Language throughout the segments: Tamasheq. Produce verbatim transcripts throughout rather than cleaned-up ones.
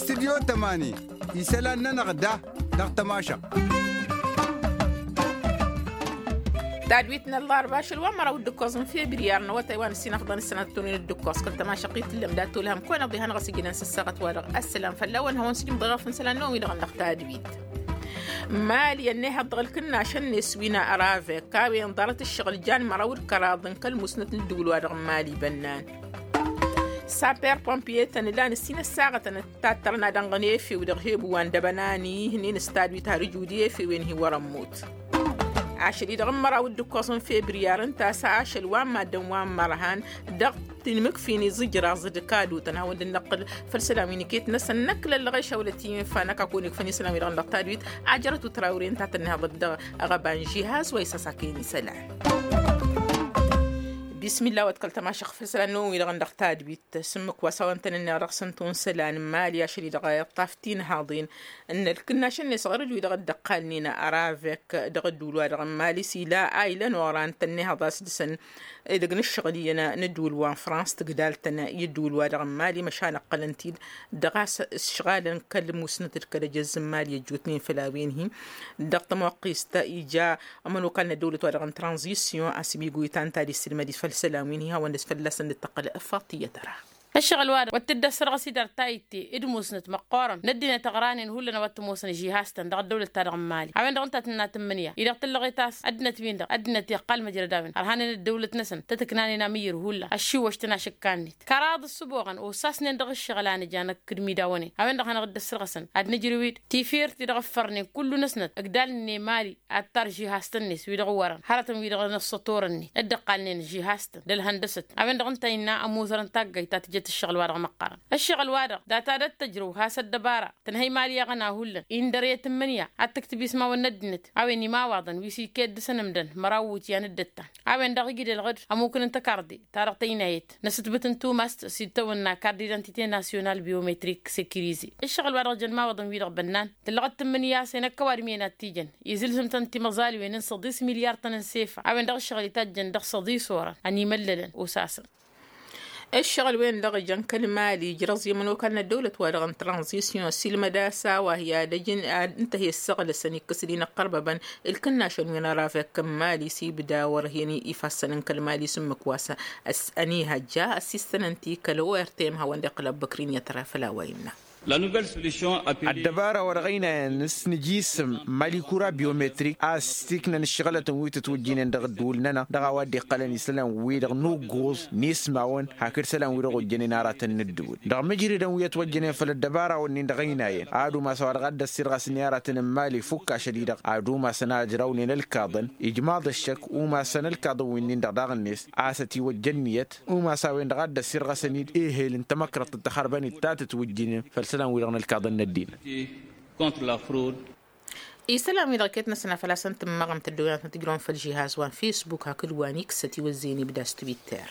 Studyo tămani isălan-nănăɣ da dăɣ-tămašăɣt. Tadwit n-ăllarba ašăl wa n-măraw d-ǝkkoẓ n-febriyar n-awătay wa n-ǝssin afḍăn ǝssănat tătunin d-ǝkkoẓ kăl-tămašăɣt i-tǝllăm dat-tolhăm kăwăn-iḍihănăɣ s-ijǝnen s-ǝssaɣăt-wa-dăɣ. Ăssălam fălla-wăn hawăn-sǝjǝmḍăɣ afǝn isălan-năwăn-wi-dăɣ dăɣ-tadwit. Mali ănnihăḍ dăɣ-ǝlkǝnnašăn-net wi n-aravek a-wen ḍarăt ǝššăɣǝl jan măraw d-kăraḍ n-kăl-musnăt n-ǝddǝwǝl-wa-dăɣ n-mali bănnan. Saper pompiye-tăn ǝlan ǝssin ăssaɣătăn tattărăn ad-ănɣăn efew dăɣ-hebu wa n-dăbănani ihnen s-tadwit har ǝjud i-efewen-hi wăr-ămmut. Ašăl-i-dăɣ n-măraw d-ǝkkoẓ n-febriyar ǝnta a-s ašăl wa n-maddǝn wa n-mărhan dăɣ-tinmǝkfin iẓǝjraẓ d-kadutăn hawăn-dd-năqqǝl făll-isălan wi n-iket-năsăn năkk lăllăɣeš a wălăt-i-infa năkk a kăwăn-ikfăn isălan-wi-dăɣ dăɣ-tadwit. Ajărăt u-tărawre ǝnta a tănnihăḍăt dăɣ-aɣăba n-žihaz wa isăsakăyăn isălan. Bismillah wa d-kăl-tămašăɣ făll-isălan-năwăn-wi-dăɣ dăɣ-tadwit. Sǝmmǝk wa s-hawăn-tăn-ǝnneɣ dăɣ-săn tunsălan n-mali ašăl-i-dăɣ iṭṭaf tinhaḍen n-ălkǝnnašăn-net ɣărăj-wi-dăɣ dd-ăqqalnen aravek dăɣ-ădduul-wa-dăɣ n-mali s-ila a ilăn oran tănnihăḍ a-s dăɣ-săn. Edăgg n-ǝššăɣǝl iyyăn n-ǝddǝwǝl wa n-frans tǝgdal-tăn i-ǝddǝwǝl-wa-dăɣ n-mali măšan ăqqălăn-t-dd dăɣ-a-s ǝšɣalăn kăl-musnăt d-kăl-ejăzz n-mali ăjjootnen făll-a-wen-hi. Dăɣ-tămoqqist ija ămănokal n-ăddăwlăt-wa-dăɣ n-tranzisyon a-s imigo itan ta d-issǝlmăd-i făll-isălan wi n-hi hawăn-dăɣ fălla-săn dd-tăqqăl. Faṭiyăt ăra. Ǝššăɣǝl-wa-dăɣ wăr t-dd-ăssărɣăs-i dăr-tayǝtte d-musnăt măqqoorăn n-ăddinăt ăɣranen hullan a-wa t-ămoosăn žihaz-tăn dăɣ-ăddăwlăt-ta-dăɣ n-mali a-wen-dăɣ ǝnta a tǝnna tǝmmǝnǝya i-dăɣ tǝllăɣet a-s ăddinăt-win-dăɣ ăddinăt iqqal măjrăd a-wen ărhanen ăddăwlăt-năsăn tăt-ǝknanen amǝyyǝr hullan ăššiwwăš-tăn ašǝkka-net kăraḍ ǝssǝboɣăn osasnen dăɣ-ǝššăɣǝl a nǝja năkk d-imidawăn-en a-wen-dăɣ hanăɣ-dd-ăssărɣăsăn ad-nǝjrǝw-dd tifirt-i-dăɣ ǝffărnen kullu-năsnăt ǝgdalnen i-mali ad-tar žihaz-tăn-net wi-dăɣ wărăn hărătăn wi-dăɣ n-ăssătorăn-net dd-ǝqqalnen žihaz-tăn d-ălhăndăsăt a-wen-dăɣ ǝnta innă ămuzărăn taggayt ta tǝjăt ǝššăɣǝl-wa-dăɣ măqqărăn. Ǝššăɣǝl-wa-dăɣ data d-ăttăjrăw has-ăddăbara tǝnhăy mali iɣna hullan indăr i-tǝmmǝnǝya ad-tǝktǝb ismawăn n-ăddinăt a-wen imawwaḍăn wi s-iket dăɣ-săn ǝmdăn măraw iwǝtyan d-ǝttan a-wen-dăɣ iji d-ălɣǝd ămukǝn n-tăkarḍe ta dăɣ-tăynayet n-asǝtbǝt n-tumast s-ittawănna carte d-identite national biometric securize. Ǝššăɣǝl-wa-dăɣ jăn imawwaḍăn-wi-dăɣ bănnan tǝllăɣăt tǝmmǝnǝya a-s enăkk ăwadǝm-en ad-t-ijăn izǝlzǝm-tăn timăẓaliwen n-săḍis milyar-tăn n-sefa a-wen-dăɣ ǝššăɣǝl itajjăn dăɣ-săḍis orăn ănimăllălăn osasăn. Ǝššăɣǝl-wen-dăɣ ijăn kăl-mali ijrăẓ i-ămănokal n-ăddăwlăt-wa-dăɣ n-tranzisyon s-ilmăd-as a-wa hi-ad-ăj ǝnta hi-ăssăɣlăsăn ikkăs-dd inăqqărbăbăn ǝlkǝnnašăn wi n-arafek n-mali s-ibda wăr-hen ifassăn n-kăl-mali s-ǝmmǝk wa s-ănihăjja ăssistănăn-t i-kăl-ortm hawăn-dd-iqqǝl abbăkrin i-ad-tăra făll-a-wa innă. Ăddăbara wa dăɣ-ăynayăn s-nǝjisǝm mali kura biometrik a-s tiknăn ǝššăɣlătăn wi tǝtwǝjjǝynen dăɣ-ǝddǝwǝl-nănăɣ dăɣ-a-wa dd-iqqălăn isălan-wi-dăɣ n-ugguẓ n-ismawăn hakd isălan-wi-dăɣ ojjănen aratăn n-ǝddǝwǝl dăɣ-imǝjridăn wi ătwăjjănen făll-ăddăbara-wǝnnin dăɣ-ăynayăn ad-umas a-wa dăɣ-ad-dd-ăssirɣasnen i-aratăn n-mali ifukk ašăl-i-dăɣ ad-umasăn a ǝjrawnen ălkaḍăn ijmaḍ ăššăk umasăn ălkaḍăn-winnin-dăɣ daɣ-net a-s ătiwăjja ǝnniyăt umas a-wen-dăɣ a dd-ăssirɣăsăn-dd ehel n-tamăkrăḍt d-taxărbănit ta tǝtwǝjjǝnen făll-isălan-wi-dăɣ n-ălkaḍăn n-ăddinăt. Isălan-wi-dăɣ iket-năsăn a făl-a-s ăntămmăɣăm tăddăwăyăn tăt-ǝjrăwăn făll-žihaz wa n-fesbuk hakd wa n-iksăt iwăzzeyăn ibda s-twitter.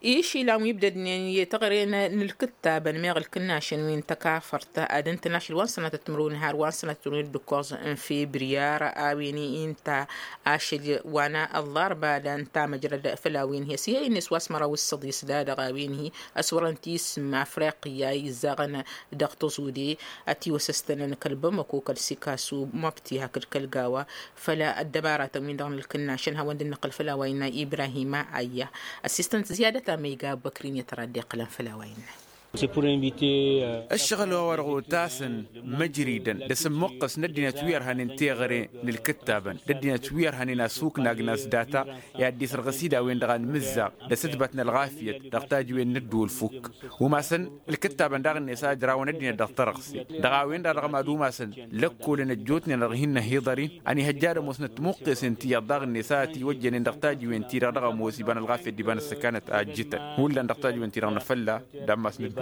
Išilan wi ibdădnen i-teɣăre n-ǝlkǝttabăn meɣ ǝlkǝnnašăn wi n-tăkafărt ad-ǝntăn ašăl wa n-sănatăt timǝrwen har wa n-sănatăt timǝrwen d-ǝkkoẓ n-febriyar a-wen-i ǝnta ašăl wa n-ăllarba da ǝnta măjrăd făll-a-wen-hi ăsihăy-net wa s-măraw s-săḍis da dăɣ-a-wen-hi ăswărăn tisǝm afriqya izzaɣăn dăɣ-tăẓude ătiwăsăstănăn kăl-bamăko kăl-sikasu măbti hakd kăl-gawa. Făll-ăddăbaratăn-win-dăɣ n-ǝlkǝnnašăn hawăn-dd-năqqǝl făll-a-wa innă ibrahima ayya ăssistăn-t ziyadăt amăyga băkrin i-tăra dd-iqqǝlăn făll-a-wa innă. Ǝššăɣǝl wa-wa-dăɣ otasăn măjridăn d-asǝmmuqqǝs n-ăddinăt wi ărhanen teɣăre n-ǝlkǝttabăn d-ăddinăt wi ărhanen asuknagn a-s data i-ad-dd-isărɣǝs-dd a-wen-dăɣ anmǝzzaɣ d-asǝtbăt n-ălɣafyăt dăɣ-tajǝwen n-ădduul fukk. Umasăn ǝlkǝttabăn daɣ-net a ǝjrawăn ăddinăt dăɣ-tărɣse dăɣ-a-wen-dăɣ dăɣ-mad-umasăn lăkkolăn ăjjootnen dăɣ-hin-năhiḍăr-in ănihăjja ad-ămoosnăt timuqqesen ti iyyăḍ daɣ-net a ătiwăjjănen dăɣ-tajǝwen-ti-dăɣ dăɣ-ămoos iba n-ălɣafyăt d-iba n-ăssăkanăt a ǝjjǝtăn hullan dăɣ-tajǝwen-ti-dăɣ n-afălla. D-ammas n-ădduul.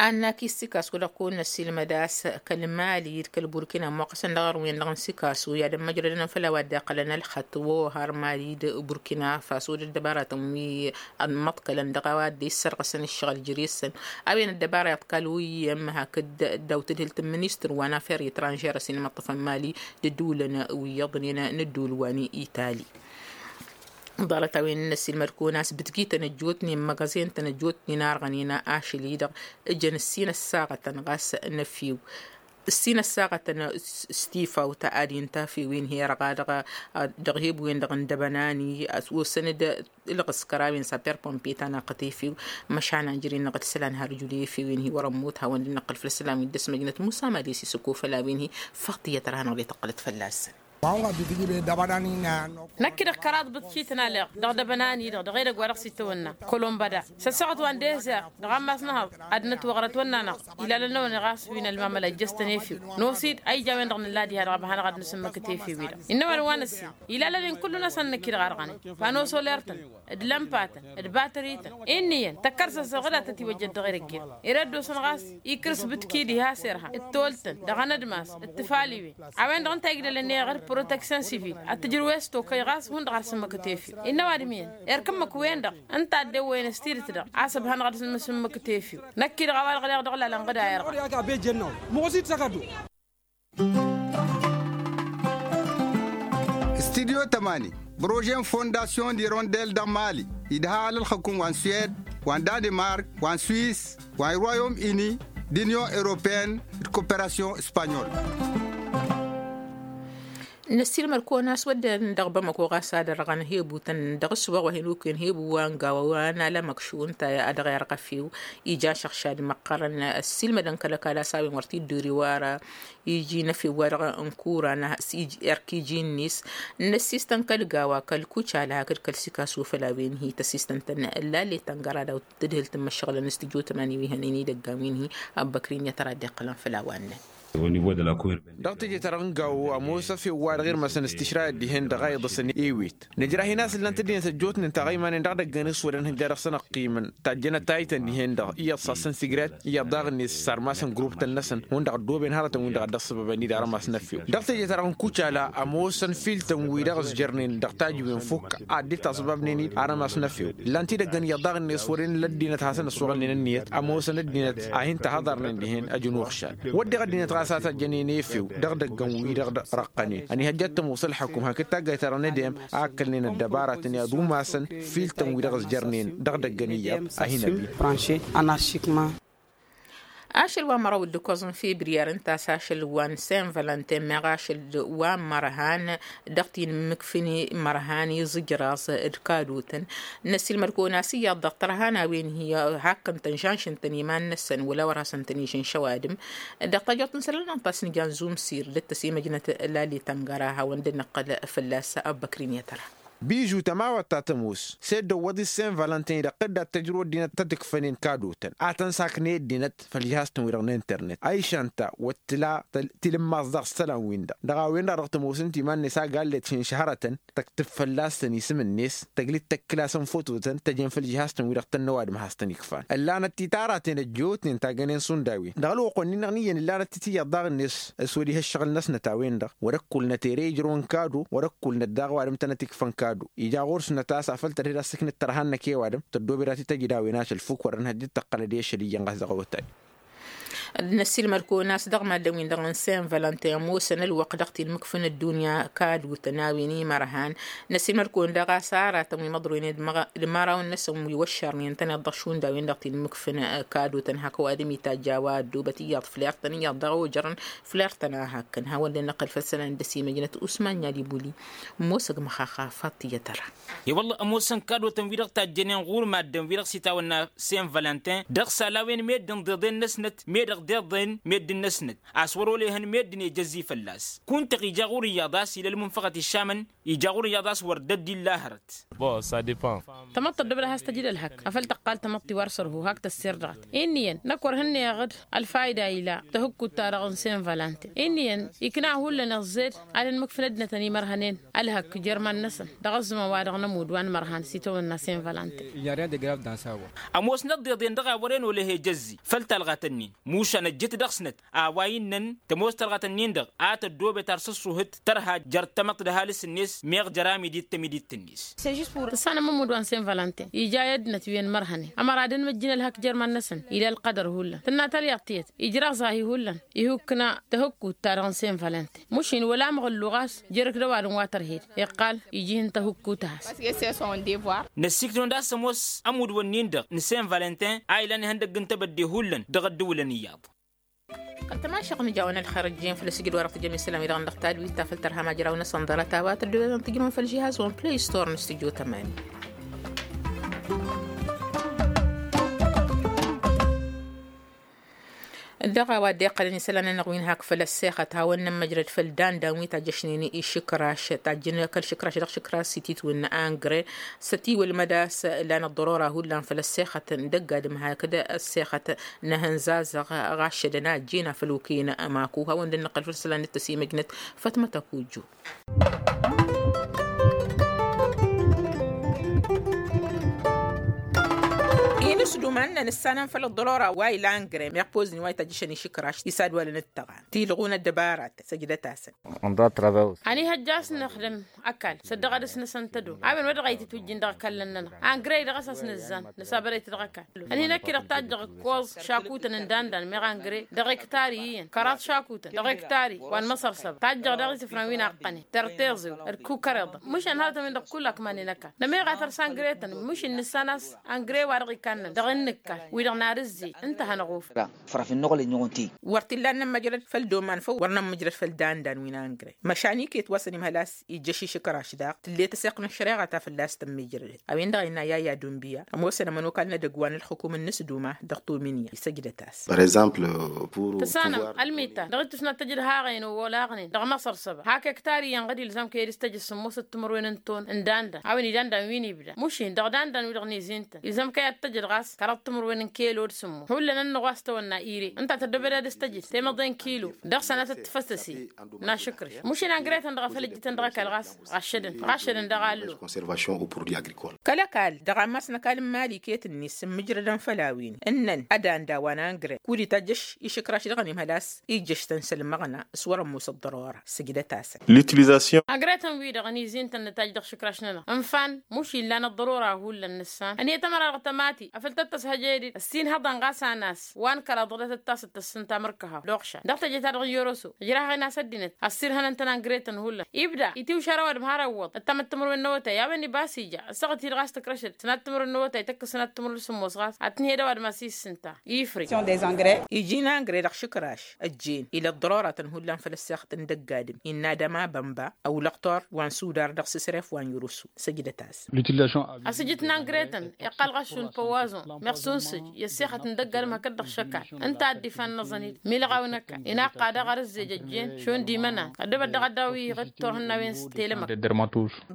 Annak issikasu dăɣ-kăwăn-năsilmăd a-s kăl-mali d-kăl-burkina ămmoqqăsăn dăɣ-arwen-dăɣ n-sikasu i-ad-ămmăjrădăn făll-a-wa dd-iqqălăn ălxăṭṭ. Ohar mali d-burkina faso d-ăddăbaratăn wi ămmăḍkălăn dăɣ-a-wa dd-issărɣăsăn ǝššăɣǝl jere-săn. A-wen ăddăbara iḍkal wi iyyăm hakd daw-tǝdhǝlt n-ministăr wa n-afer itranžer a-s inmăṭṭăfăn mali d-ǝddǝwǝlăn wi iyyăḍnen n-ǝddǝwǝl wa n-itali. Ḍarăt-a-wen n-ăssiilmăd-kăwăn a-s bǝtjităn ăjjootnen măgăẓen-tăn ăjjootnen arɣănen ašăl-i-dăɣ ǝjăn ǝssin ăssaɣătăn ɣas n-efew. Ǝssin ăssaɣătăn s-tifawt ad-inta efew-in hi-irɣa dăɣ-he-wen-dăɣ n-dăbănani osăn-dd ǝlɣǝskăr a-wen s-aper pompe ta n-aqqăt efew. Măšan anjăr-in-dăɣ d-isălan har ǝjud i-efew-in hi wăr-ămmut hawăn-dd-năqqǝl făll-isălan wi dd-ăsmăjnăt musa mali s-isǝkofăl a-wen hi. Făṭṭiyăt ra-hanăɣ-dd-tăqqǝlăt fălla-săn. Năkk-i-dăɣ kăraḍ bǝtcităn aleɣ dăɣ-dăbănani-dăɣ dăɣ-edăgg wa dăɣ-s itawănna kolombăda s-ăssaɣăt wa n-dezăr dăɣ-ammas n-ehăḍ. Ad-nătwăɣrăt wănn'-anăɣ ilalăn-năwăn ɣas wi n-ălmamăla ǝjjăstăn efew. N-osid a ija a-wen-dăɣ nǝlla diha-dăɣ a băhanăɣ ad-nǝsǝmmǝkǝt efew-i-dăɣ innă ăwadǝm wa n-ăssin ilalăn-in kullu-năsăn năkk-i-dăɣ arɣănen. Fa n-osoler-tăn d-lămpatăn d-batărităn inn'-iyyăn tăkkăr-săn săɣǝdat ătiwăjjăt dăɣ-edăgg-en. Ere dd-osăn ɣas ikǝrs bǝtki diha s-irha d-toltăn dăɣ-enădmas d-tifaliwen. A-wen-dăɣ ǝnta igdălăn iɣăr proteksyon sivil ad-tǝjrǝw i-s tokăy ɣas hundăɣ ad-sǝmmǝkǝt efew. Innă ăwadǝm iyyăn erk ǝmmǝk-wen-dăɣ ǝnta a dd-ewwăyăn s-tidǝt-dăɣ a-s ăbhănăɣ ad-sǝmmǝkǝt efew. Năkk-i-dăɣ a-wa dăɣ-leɣ dăɣ-lalăn ɣǝd a irɣa. Studyo tămani, brožen fondasyon d-irondel dăɣ-mali idha alălxăkum wa n-suwed, wa n-danimark, wa n-swis, wa n-royom ini, d-inyon europeen, d-koperasyon spanyol. Năssiilmăd-kăwăn a-s wădden dăɣ-bamăko ɣas ad-ărɣăn hebutăn dăɣ-ăssuwăɣ wa hin-ukǝyăn hebu wa n-gawa wa n-alămăkšu ǝnta a dăɣ-irɣăf-ew. Ija šăɣšad măqqărăn ăssiilmădăn kăl-ăkall a-s a-wen wăr t-dd-ori wara. Iji n-efew wa dăɣ-ǝnkuran erk iji-net n-ăssistăn kăl-gawa kăl-kucala hakd kăl-sikasu făll-a-wen hi-tăssistăn-tăn. Lallet ăngăra daw-tǝdhǝlt n-imăššăɣǝlăn s-tijo tămani wi hănen idăggan wi n-hi. Abbăkrin i-tăra dd-iqqălăn făll-a-wa n-năn. Ănnibo dăɣ-lakur. Dăɣ-teje-ta-dăɣ n-gawo ămoos efew wa dăɣ-irmăsăn s-tišrayăt dihen-dăɣ a iḍǝsăn ewet. Nǝjrah-in a-s ǝllan-t ăddinăt ăjjootnen taɣăymanen dăɣ-idăggan s-wăren hăjja dăɣ-săn ăqqiimăn tajjănăt taytăn dihen-dăɣ iyyăḍ s-ad-săn sigret iyyăḍ daɣ-net s-armasăn gruptăn-năsăn hundăɣ ăddooben hărătăn-win-dăɣ a dd-ăṣṣăbăbăn-dd armas n-efew. Dăɣ-teje-ta-dăɣ n-kucala ămoosăn filtăn-wi-dăɣ ăzjărnen dăɣ-tajǝwen fukk a dd-taṣbabnen-dd armas n-efew. Ǝllan-t idăggăn iyyăḍ daɣ-net s-wăren ǝlla ăddinăt hasăn-ăssuɣǝlnen ǝnniyăt ămoosăn ăddinăt a hin-tăhăḍărnen dihen ăjǝnuɣšal. Wădden ăddinăt ɣas a tăjjănen efew dăɣ-idăggăn-wi-dăɣ d-răqqănen ănihăjja ad-tămoos ălḥăkum hakd taggayt-ta-dăɣ n-edem a ǝkkǝlnen ăddăbaratăn i-ad-umasăn filtăn-wi-dăɣ ăzjărnen dăɣ-idăggăn iyyăḍ a hin-ăbin. Ašăl wa n-măraw d-ǝkkoẓ n-fibriyar ǝnta a-s ašăl wa n-sen vălănten meɣ ašăl wa n-mărhan dăɣ-t-in-mǝkfǝn mărhan iẓǝjraẓ d-kadotăn. Năssiilmăd-kăwăn a-s iyyăḍ dăɣ-tărhan a-wen hi-hakkăn-tăn žanšăn-tăn iman-năsăn wăla wăr hasăn-tăn-ižăn šăwadǝm. Dăɣ-tajăḍt n-isălan ănta a-s nǝja n-zumsir dd-tăsimăjnăt lali tăngăra hawăn-dd-nǝqqăl fălla-s. Abbăkrin i-tăra. Bižu tămawăt ta tămoos s-e-dd ăwwăḍ-i s-sen vălănten-i-dăɣ tǝddat tăjrǝw ăddinăt tăt-ǝkfănen kadotăn a tăn-saknăy ăddinăt făll-žihaz-tăn-wi-dăɣ n-internet. Ayša ǝnta wăr t-tǝla tilǝmmaẓ daɣ s-isălan-win-dăɣ dăɣ-a-wen-dăɣ dăɣ-tămoos ǝnta iman-net a gallet šǝnšăhărătăn tăktǝb fălla-săn isǝm-net tăglit tăkkǝl-asăn fototăn tăjen făll-žihaz-tăn-wi-dăɣ tănn' ăwadǝm has-tăn-ikfan. Ǝllanăt-t-i taraten ăjjootnen tagănen s-undawen dăɣ-ălwăqq-wen-in-dăɣ n-iyyăn ǝllanăt-t-i tiyyăḍ daɣ-net s-wăr-iha ǝššăɣǝl-năsnăt a-wen-dăɣ wăr-ăkkulnăt ere ijrăwăn kado wăr-ăkkulnăt daɣ ăwadǝm tănăt-ikfăn kado. Ija ɣur-snăt a-s afăl tărhed a-s ǝknǝt tărha-năk i-ăwadǝm tăddoobed a t-tăjǝd a-wen ašăl fuk wăr-ănhăjjăt tăqqălăd i-ašăl iyyăn ɣas dăɣ-awătay. Năssiilmăd-kăwăn a-s dăɣ-maddǝn-win-dăɣ n-sen vălănten ămoosăn ălwăqq dăɣ-t-in-mǝkfǝn ăddunya kadotăn a-wen imărhan. Năssiilmăd-kăwăn daɣ a-s aratăn wi măḍroynen d-imăraw-năsăn wi wăššărnen tăn-iḍăš hundăwen dăɣ-t-in-mǝkfǝn kadotăn hak ăwadǝm itajj a-wa ăddoobăt iyyăḍ fler-tăn iyyăḍ dăɣ-ojărăn fler-tăn a hakkăn hawăn-dd-năqqăl făll-isălan dd-ăsimăjnăt usman n-ad-ibuli. Ămoosăg măxaxa faḍt iyyăt ăra. I-wălla ămoosăn kadotăn-wi-dăɣ tajjănen ɣur-maddǝn-wi-dăɣ s-itawănna sen vălănten dăɣ-isălan a-wen meddǝn d-iḍen-năsnăt meddǝn d-iḍen meddǝn-năsnăt a-s wăr-olehăn meddǝn ejăzzi fălla-s. Kunta-ɣ ija ɣur-iyyăḍ a-s ila ălmunfăɣăt išamăn ija ɣur-iyyăḍ a-s wăr dd-illa hărăt. Tamăḍt tăddobăd ad-has-tăjǝd ălhăk afăl tăqqal tamăḍt-i wa ar sărhu hak tăssir dăɣ-t. Inn'-iyyăn năkk wăr hǝnnăyăɣ-dd ălfayda ila tăhǝkkut-ta-dăɣ n-sen valănten. Inn'-iyyăn ikna hullan iẓẓed ad-ănmǝkfǝn ăddinătăn imărhănen ălhăk jer-iman-năsăn dăɣ-ăzzumăn wa dăɣ-nămudd wa n-imărhan s-itawănna sen valănten. Ămoosnăt d-iḍen dăɣ-a wăren olăhe jăzzi făll-talɣat-ǝnnin mušan ăjjǝt dăɣ-snăt a-wa innăn tămoos talɣat-ǝnnin-dăɣ a tăddoobet ar săṣṣuhǝt tărha jer-tamăḍt d-ăhalǝs-net meɣ jer-amidit tamidit-net. Tǝssanăm ămudd wa n-sen valănten ija i-ăddinăt wi ănmărhănen ămăra ad-ănmăjjǝn ălhăk jer-iman-năsăn ila ălqădăr hullan tǝnna talyaḍt tiyyăt ijraɣ zahi hullan ihukna tăhǝkkut-ta-dăɣ n-sen valănten mušin wăla măɣǝllu ɣas jer-ǝkd ăwadǝm wa tărhed iqqal iji ihǝn tăhǝkkut a-has. Năssiiktăn-dd a-s ămoos ămudd-wǝnnin-dăɣ n-sen valănten a ilan ihăndăgg n-tebădde hullan dăɣ-ăddǝwǝlăn iyyăḍ. Kăl-tămašăɣ nǝjawăn ălxer ăjjeen făll-asǝjǝd wa dăɣ-tǝjăm isălan-wi-dăɣ n-dăɣ tadwit ta făll-tărha majraw-năsăn ḍarăt a-wa tăddoobem tǝjrǝwăn făll-žihaz wa n-play store n-stujo tămani. Dăɣ-a-wa dd-iqqălăn isălan-nănăɣ wi n-hak făll-ăssexăt hawăn-in ămmăjrăd făll-dandan wi tajjăšnen išǝkraš tajjǝn kăl-išǝkraš dăɣ-išǝkraš s-ititwǝn n-angre s-ătiwălmăd a-s lan ăḍḍărora hullan făll-ăssexăt n-dăgg-adǝm hakd ăssexăt n-ehăn zazăɣ ɣaššădăn a ăjjeen afăl okăyăn maku hawăn-dd-nǝqqăl făll-isălan d-tăsimăjnăt. Fătmăt ăkujju. Inǝsdum a ǝnnăn ǝssanăn făll-ăḍḍărora wa ila angre meɣ pozǝn wa ităjjăšăn išǝkraš isadwalăn d-tăɣa tilɣun ăddăbaratăn săjdăt-asăn. Ănihăjja a-s nǝxdǝm ăkall săddăɣ ad-dăɣ-s nǝsăn tădom a-wen wa dăɣ-a itǝtwǝjjǝn dăɣ-ăkall-nănăɣ angre-i dăɣ-s a-s nǝzzan nǝsabărăy-t dăɣ-ăkall. Ănhinăkk-i-dăɣ tajjăɣ ǝkkoẓ šakutăn n-dandan meɣ angre dăɣ-iktari iyyăn kăraḍ šakutăn dăɣ-iktari wa n-măsăr săba tajjăɣ daɣ isǝfran wi n-aqqănen tărteẓew d-kukăreḍăn mǝšan hărătăn-win-dăɣ kull akmanen ăkall nămeɣ a tărs angre-tăn mǝšin nǝssan a-s angre wa dăɣ-ikannăn dăɣ-innǝkkal wi-dăɣ n-ad-ǝzzej ǝnta a hanăɣ-ofăl. Wăr t-illa ad-nămmăjrăd făll-doman făw wăr nămmăjrăd făll-dandan wi n-angre măšan iket wa s-ănimhăl a-s ijjăš išǝkraš daɣ tǝllet ăseɣt n-ăššăreɣa ta fălla-s tămmijrădet. A-wen-dăɣ a innă yaya dunbiya ămoosăn ămănokal n-edăgg wa n-ălxukum n-inǝsduma dăɣ-tominya isăjdăt-as. Tăsanăm ălmitan dăɣ-ittus n-ad-tăjǝd haɣen owolaɣnen dăɣ-măṣăr săba hak ektari iyyăn ɣǝd ilzam kăy-dd-s tăjǝd sǝmmosăt timǝrwen n-ton n-dandan a-wen i-dandan wi n-ibda mušin dăɣ-dandan wi-dăɣ n-izintăn ilzam kăy-ad-tăjǝd ɣas kăraḍ timǝrwen n-kelo d-sǝmmos hullan ănnăɣ wa s-tawănna ire ǝnta tăddobed ad-dăɣ-s tăjǝd temăḍe n-kilo dăɣ-sănatăt tǝfăsăse. N-ašǝkrǝš mušin angre-tăn dăɣ-afăl ǝjjǝtăn dăɣ-ăkall ɣas ɣaššădăn ɣaššădăn dăɣ-allo. Kăl-ăkall dăɣ-ammas n-ăkall n-mali iket-net s-ǝmmǝjrădăn făll-a-wen ǝnnăn ad-anda wa n-angre kud-itajjăš išǝkraš dăɣ-ănimhăl a-s ijjăš-tăn s-ălmăɣna s-wăr-ămoos ăḍḍărora sǝjdăt-asăn. Angre-tăn-wi-dăɣ ănizin-tăn nǝtajj dăɣ-išǝkraš-nănăɣ ǝnfan mušin lan ăḍḍărora hullan nǝssan ănhăyăt ămăra dăɣ-tămati afăl tăt-tăshăj edăd ăssinhăḍăn ɣas anas wa n-kăraḍ ɣǝdăt ăttasăt tăssǝnta amărkăhaw d-oɣšan dăɣ-teje-ta-dăɣ n-yoroso ǝjrahăɣ-in a-s ăddinăt ăssirhănăn-tăn angre-tăn hullan ibda itiwšar ăwadǝm har ăwwăḍ ăttamăt timǝrwen n-awătay a-wen ibas ija ăssaɣăt-i-dăɣ a-s tǝkrăšăd sănat timǝrwen n-awătay tăkk-s sănat timǝrwen s-sǝmmos ɣas ad-tǝnhăy d-ăwadǝm a-s issǝnta. Ifrǝy iji n-angre dăɣ-išǝkraš ăjjeen ila ăḍḍăroratăn hullan făll-ăssexăt n-dăgg-adǝm innă ad-ămabănba ăwlăqtor wa n-sudar dăɣ-sǝsref wa n-yurǝsu. Săjdăt-as. Asǝjǝt n-angre-tăn iqqal ɣas šund păwazon meɣ sunsǝj i-ăssexăt n-dăgg-adǝm hakd-dăɣ šăkal ǝnta a dd-ifan n-aẓănid milɣaw n-ăkall inaqqad aɣar ǝzzej ăjjeen šund imănan ăddobăt dăɣ-ad-dawǝyăɣ d-turhǝnnawen s-telemăk.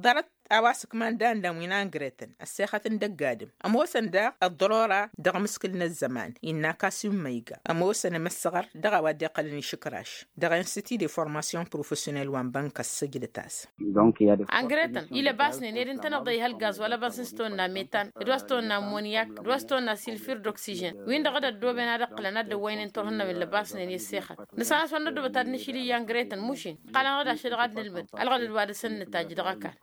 Ḍarăt a-wa s-ǝkman dandan wi n-angre-tăn ăssexăt n-dăgg-adǝm ămoosăn daɣ ăḍḍărora dăɣ-imǝskǝl n-ăzzăman innă kasim măyga ămoosăn imǝssăɣăr dăɣ-a-wa dd-iqqălăn išǝkraš dăɣ-institut de formation professionel wa n-bănkăs sǝjdăt-as. Angre-tăn ilăbasnen ed ǝntăneḍ ăyhăl gaz wa lăbas n-s tăwănna metan d-wa s-tăwănna monyak d-wa s-tăwănna silfir d-oksižen win-dăɣ d-ăddooben ad-ǝqqǝlăn ad-dd-ăwwăynen turhǝnnawen lăbasnen i-ăssexăt. Nǝssan a-s wa n-năddobăt ad-nǝšǝl iyyă angre-tăn mušin ǝqqalăn-dăɣ d-ašăl dăɣ-ad-nǝlmǝd ălɣădăd wa dăɣ-săn nǝtajj dăɣ-ăkall.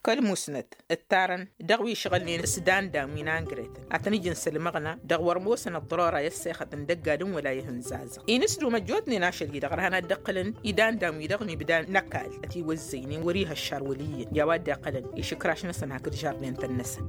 Kăl-musnăt ǝttarăn dăɣ-wi ǝšɣǝlnen s-dandan wi n-angre-tăn ad-tăn-ǝjǝn s-ălmăɣna dăɣ-wăr ămoosăn ăḍḍărora i-ăssexăt n-dăgg-adǝm wăla i-ihǝnzazăɣ inǝsdum ăjjootnen ašăl-i-dăɣ ărhan ad-dd-ǝqqǝlăn i-dandan-wi-dăɣ n-ibda n-ăkall ătiwăzzăynen wăr-ih ăššar wăl' iyyăn i-a-wa dd-iqqălăn išǝkraš-năsăn hakd žardin-tăn-năsăn.